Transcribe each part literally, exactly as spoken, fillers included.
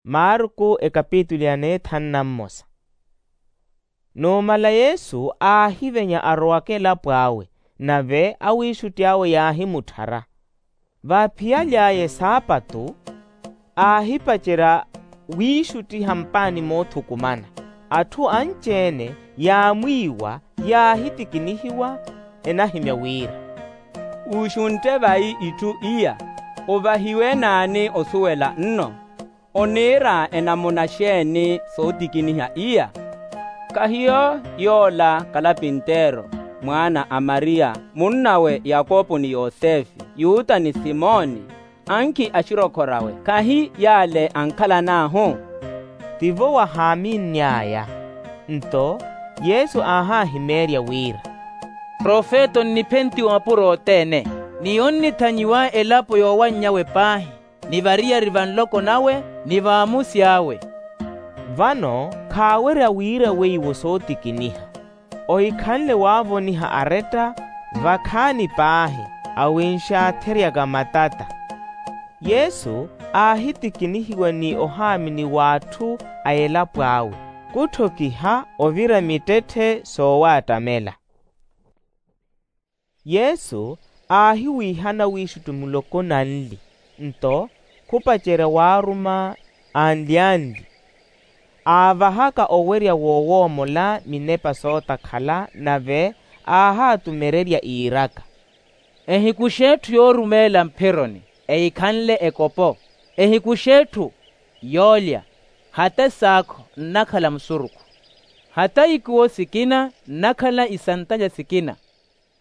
Marku ekapitulu ya neethanu na mmosa. Numala yesu aahivenya arowaka elapo awe, nave awiixutti awe yaahimutthara. Vaaphiyaly'aya esaapatu aahipacerya wiixuttiha mpaani moothukumana. Atthu anci-ene yaamwiiwa yaahitikinihiwa enahimya wira, wuxuntte vayi itthu iya? Ovahiwe naani osuwela nno? Oniira enamuna xeeni sootikiniha iya? Kahiyo yoola kalapinteero, mwaana a mariya, munnawe yakopo ni yosefe, yuta ni simoni? Ankhi axirokhorawe khahi yaale ankhalan'ahu? Tivo wahaaminny'aya. Nto yesu aahahimeerya wira, profeta onniphentiwa mapuro othene, ni onnithanyiwa elapo yoowanny'awe paahi, ni variyari va nloko nawe, ni vaamusi awe. Vano khaawerya wira weiwo sootikiniha. Ohikhanle waavoniha aretta vakhaani paahi, awinxaatheryaka matata. Yesu aahitikinihiwa ni ohaamini w'atthu a elapo awe, khutthokiha ovira mittetthe soowattamela. Yesu aahiwiihana wiixuttu muloko nanli, nto khupacerya waaruma anli-anli, aavahaka owerya woowoomola minepa sootakhala, nave aahaatumererya iiraka, ehikuxe etthu yoorumeela mphironi, ehikhanle ekopo, ehikuxe etthu yoolya, hata esaakho nnakhala musurukhu, hata ikuwo sikina nnakhala isantalya sikina.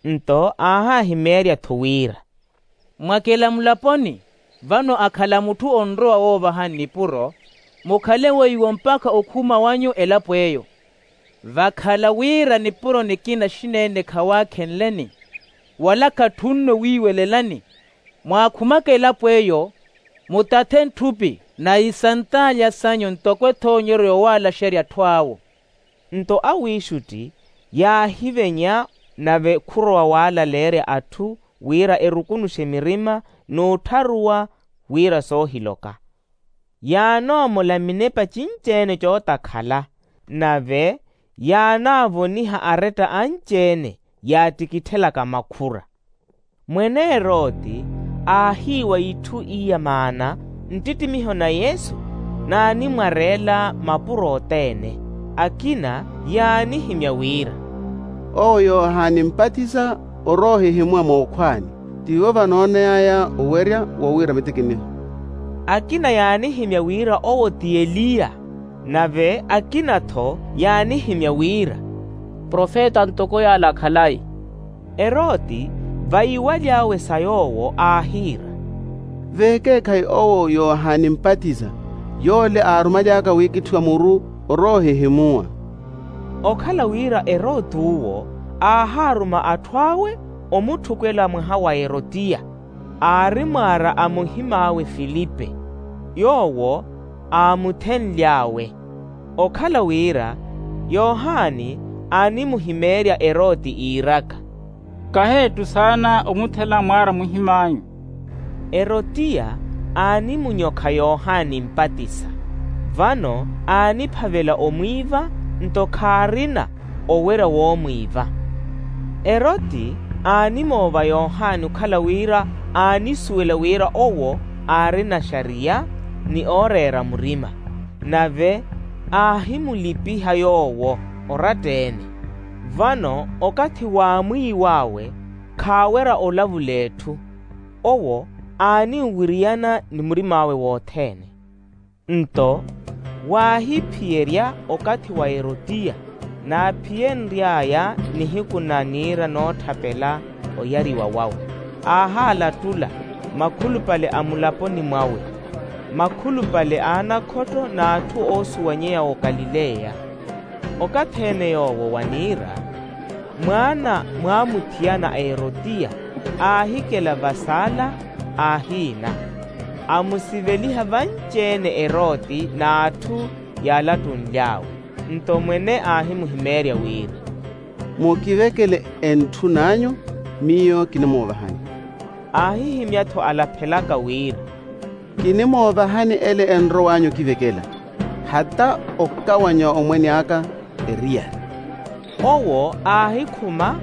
Nto aahahimeerya-tho wira, mwakela mulaponi, vano akhala mutthu onrowa woovahani nipuro, mukhale weiwo mpakha okhuma wanyu elapo eyo. Vakhala wira nipuro nikina xineene khawaakhenleni, wala khatthunno wiiwelelani, mwaakhumaka elapo eyo, mutathe ntthupi na isantalya sanyu ntoko ethoonyeryo yoowaalaxerya atthu awo. Nto awiixutti yaahivenya, nave khurowa waalaleerya atthu wira erukunuxe mirima n'uttharuwa wira soohiloka. Yaanoomola minepa cinci-ene cootakhala, nave yaanaavoniha aretta anci-ene yaattikitthelaka makhura. Mwene eroti aahiiwa itthu iya maana nttittimiho na yesu naanimwareela mapuro othene. Akina yaanihimya wira, owo yohani mpatisa oroohihimuwa mookhwaani, tivo vanooney'aya owerya wowiira mitikiniho. Akina yaanihimya wira owo ti eliya, nave akina-tho yaanihimya wira, profeta ntoko yaala khalayi. Eroti vayiwaly'awe sa yoowo aahiira, veekeekhayi owo yohani mpatisa, yoole aarumaly'aka wiikitthiwa muru oroohihimuwa. Okhala wira eroti uwo aahaaruma atthu awe omutthukwela mwaha wa erotiya, aari mwaara a muhim'awe filipe, yoowo aamuthenly'awe. Okhala wira yohani aanimuhimeerya eroti iiraka, kahi etthu saana omuthela mwaara muhim'anyu. Erotiya aanimunyokha yohani mpatisa, vano aaniphavela omwiiva, nto khaarina owerya woomwiiva. Eroti aanimoova yohani okhala wira aanisuwela wira owo aarina xariya ni ooreera murima, nave aahimulipiha yoowo oratta-ene. Vano okathi waamwiiw'awe khaawerya olavula etthu, owo aaninwiriyana ni murim'awe wothene. Nto waahiphiyerya okathi wa erotiya, naaphiyenry'aya nihiku na niira nootthapela oyariwa wawe, aahaalatula makhulupale a mulaponi mwawe, makhulupale a anakhotto n'atthu oosuwanyeya okalileya. Okathi-ene yoowo wa niira, mwaana mwaamuthiyana a erotiya aahikela vasaala, aahiina, amusiveliha vanci-ene eroti n'atthu yaalattunly'awe. Nto mwene aahimuhimeerya wira, mukivekele entthun'anyu, miyo kinimuuvahani. Aahihimya-tho alaphelaka wira, Kinimoovahani ele enrow'anyu okivekela, hata okawanya omwene aka eriyari. Owo aahikhuma,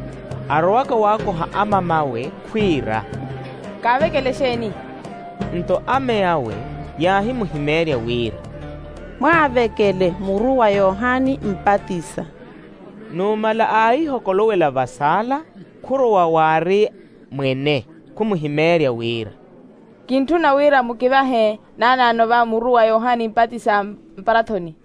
arowaka waakoha amam'awe khwiira, kaavekele exeeni? Nto amey'awe yaahimuhimeerya wira, mwaavekele muru wa yohani mpatisa. Numala aahihokolowela vasaala, khurowa waari mwene, khumuhimeerya wira, kintthuna wira mukivahe naanaano va muru wa yohani mpatisa mparathoni.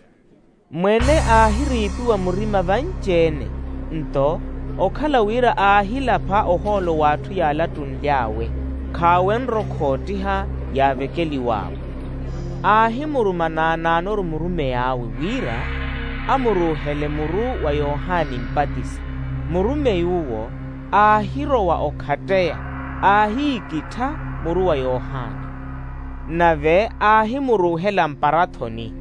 Mwene aahiriipiwa murima vanci-ene, nto okhala wira aahilapha ohoolo w'atthu yaalattunly'awe, khaawenrwa okhoottiha yaavekeliw'awe. Aahimuruma naanaanoru murumey'awe wira amuruuhele muru wa yohani mpatisa. Murumey'uwo aahirowa okhatteya, aahiikittha muru wa yohani. Nave aahimuruuhela mparathoni.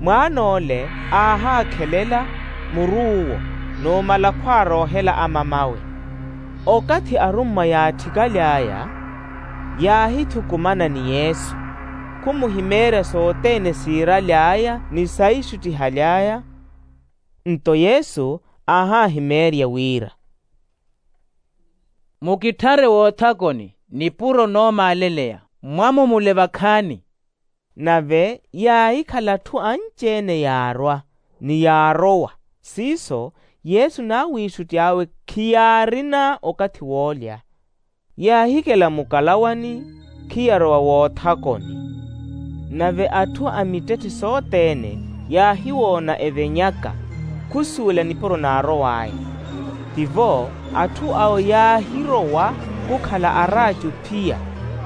Mwaan'ole aahaakhelela muruuwo, numala khwaaroohela amam'awe. Okathi arummwa yaatthikaly'aya, yaahithukumana ni yesu, khumuhimeerya sothene siiraly'aya ni saixuttihaly'aya. Nto yesu aahaahimeerya wira, mukitthare woothakoni nipuro noomaaleleya, mwamumule vakhaani. Nave yaahikhala atthu anci-ene yaarwa, ni yaarowa. Siiso yesu n'awiixutti awe khiyaarina okathi woolya. Yaahikela mukalawani, khiyarowa woothakoni. Nave atthu a mittetthe sothene yaahiwoona evenyaka, khusuwela nipuro naarow'aya. Tivo atthu awo yaahirowa khukhala araaci ophiya,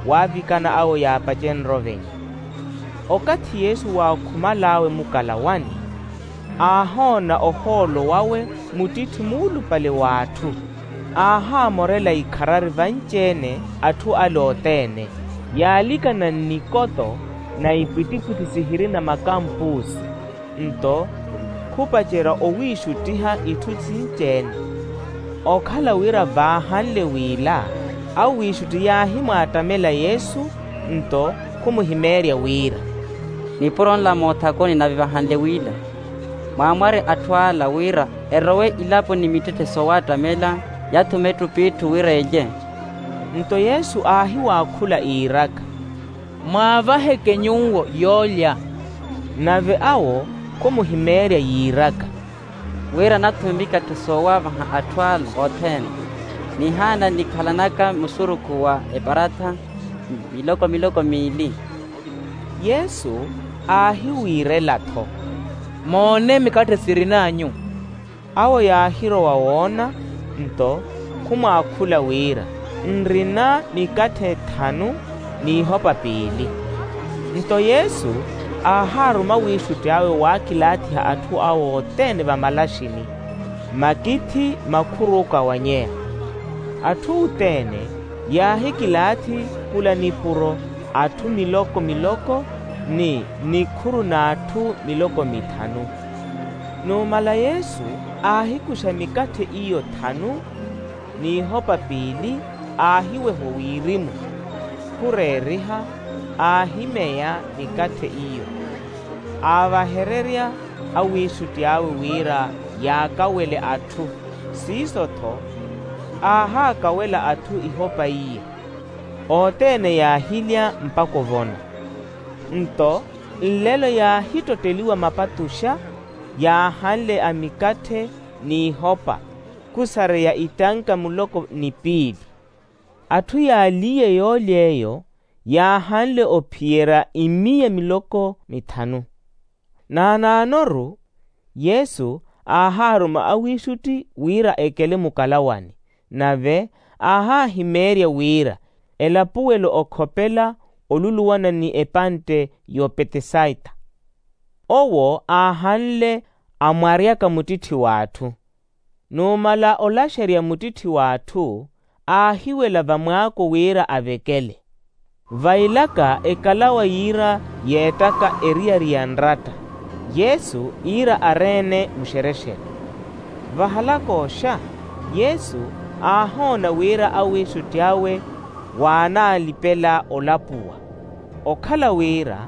waavikana awo yaapacenrya ovenya. Okathi yesu waakhumal'awe mukalawani, aahoona ohoolo wawe muttitthi muulupale w'atthu, aahaamorela ikharari vanci-ene atthu ale othene, yaalikana nnikoto na ipwittipwitthi sihirina makampuusi. Nto khupacerya owiixuttiha itthu sinci-ene. Okhala wira vaahanle w'ila, awiixutti yaahimwaattamela yesu, nto khumuhimeerya wira, nipuro nla moothakoni nave vahanle w'ila, mwaamware atthu ala wira erowe ilapo ni mittetthe soowaattamela, yathume ettupitthi wira elye. Nto yesu aahiwaakhula iiraka, mwaavaheke nyuwo yoolya. Nave awo khumuhimeerya yiiraka, wira nathume mikatthi soowaavaha atthu ala othene, nihaana nikhalanaka musurukhu wa eparatha miloko miloko miili. Yesu aahiwiirela-tho, moone mikatthi sirin'anyu. Awo yaahirowa woona, nto khumwaakhula wira, nrina mikatthi ethanu n'ihopa piili. Nto yesu aahaaruma awiixutti awe waakilaathiha atthu awo othene vamalaxini, makithi makhuruka wa nyeya. Atthu othene yaahikilaathi khula nipuro atthu miloko miloko, ni nikhuru n'atthu miloko mithanu. Numala yesu aahikuxa mikatthi iyo thanu n'ihopa piili, aahiweha owirimu, khureeriha, aahimeya mikatthi iyo, aavahererya awiixutti awe wira yaakawele atthu. Siiso-tho aahaakawela atthu ihopa iyo. Othene yaahilya mpakha ovona. Nto nlelo yaahittotteliwa mapatuxa yaahanle a mikatthi n'ihopa, khusareya itanka muloko ni piili. Atthu yaaliiye yoolya eyo yaahanle ophiyerya imiya miloko mithanu. Naanaanoru yesu aahaaruma awiixutti wira ekele mukalawani, nave aahaahimeerya wira elapuwelo okhopela oluluwana ni epantte y'opetesaita. Owo aahanle amwaryaka muttitthi w'atthu. Numala olaxerya muttitthi w'atthu aahiwela vamwaako wira avekele. Vailaka ekalawa yiira yeettaka eriyari ya nratta, yesu iira areene muxerexere. Vahalak'oxa yesu aahoona wira awiixutti awe waanaalipela olapuwa. Okhala wira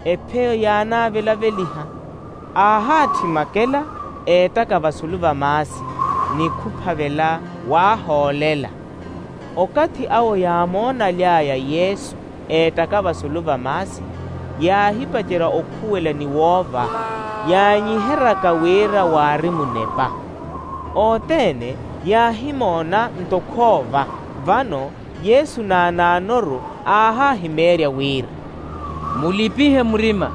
epheyo yaanaavelaveliha, aahaatthi makela eettaka vasulu va maasi, ni khuphavela waahoolela. Okathi awo yaamoonaly'aya yesu eettaka vasulu va maasi, yaahipacerya okhuwela ni woova, yaanyiheryaka wira waari munepa. Othene yaahimoona nto khoova. Vano yesu naanaanoru aahaahimeerya wira, mulipihe murima,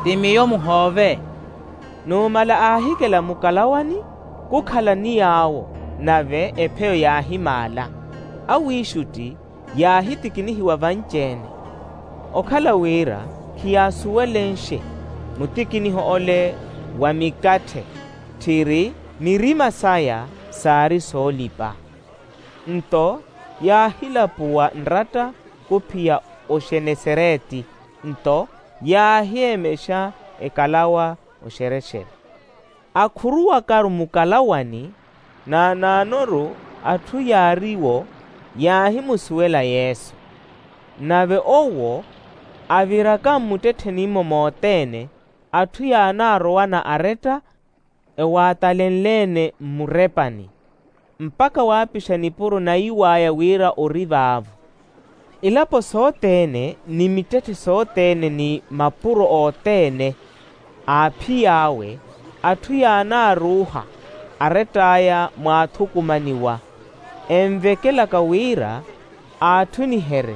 ti miyo muhoove. Numala aahikela mukalawani, khukhala ni yaawo, nave epheyo yaahimaala. Awiixutti yaahitikinihiwa vanci-ene, okhala wira khiyaasuwelenxe mutikiniho ole wa mikatthe, tthiri mirima saya saari soolipa. Nto yaahilapuwa nratta khuphiya oxenesereti, nto yaahiyemexa ekalawa oxerexere. Akhuruwakaru mukalawani, naanaanoru atthu yaariwo yaahimusuwela yesu. Nave owo aviraka mmuttetthenimmo mothene, atthu yaanaarowana aretta ewaatalenle-ene mmurepani, mpakha waapixa nipuro naiw'aya wira ori vaavo. Ilapo sothene ni mittetthe sothene ni mapuro othene aaphiy'awe, atthu yaanaaruuha arett'aya mwaathukumaniwa, envekelaka wira aatthuniherye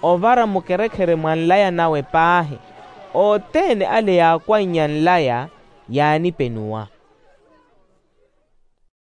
ovara mukerekhere mwa nlaya nawe paahi. Othene ale yaakwannye nlaya yaanipenuwa.